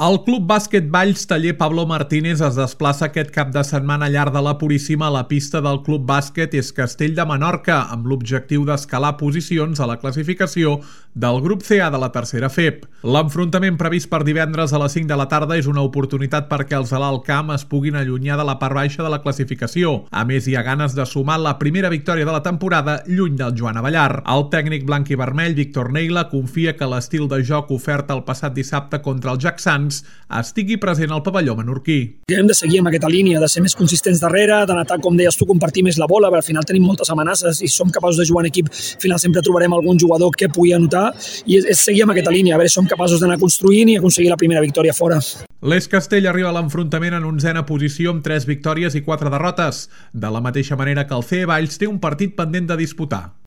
El Club Bàsquet Valls Taller Pablo Martínez es desplaça aquest cap de setmana al llarg de la Puríssima a la pista del Club Bàsquet Es Castell de Menorca amb l'objectiu d'escalar posicions a la classificació del grup CA de la tercera FEP. L'enfrontament previst per divendres a les 5 de la tarda és una oportunitat perquè els de l'Alt Camp es puguin allunyar de la part baixa de la classificació. A més, hi ha ganes de sumar la primera victòria de la temporada lluny del Joan Avellar. El tècnic blanc i vermell, Víctor Neila, confia que l'estil de joc ofert el passat dissabte contra el Jacksans estigui present al pavelló menorquí. Hem de seguir amb aquesta línia, de ser més consistents darrere, d'anar, com deies tu, compartir més la bola, perquè al final tenim moltes amenaces i som capaços de jugar en equip. Al final sempre trobarem algun jugador que pugui anotar i és seguir amb aquesta línia, a veure si som capaços d'anar construint i aconseguir la primera victòria fora. L'Es Castell arriba a l'enfrontament en 11a posició amb 3 victòries i 4 derrotes, de la mateixa manera que el CE Valls té un partit pendent de disputar.